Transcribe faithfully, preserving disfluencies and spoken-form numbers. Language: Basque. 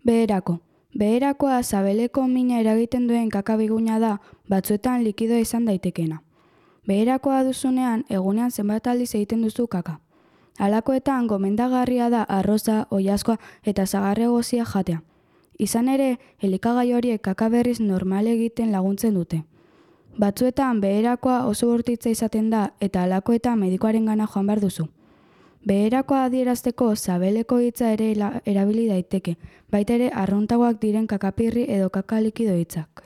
Beherako. Beherakoa sabeleko mina eragiten duen kakabiguna da, batzuetan likidoa izan daitekena. Beherakoa duzunean, egunean zenbat aldiz egiten duzu kaka. Halakoetan gomendagarria da arroza, oilaskoa eta sagarra egozia jatea. Izan ere, elikagai horiek kaka berriz normal egiten laguntzen dute. Batzuetan beherakoa oso bortitza izaten da eta halakoetan medikuarengana joan behar duzu. Beherakoa adierazteko sabeleko hitza ere erabili daiteke, baita ere arruntagoak diren kakapirri edo kaka likido hitzak.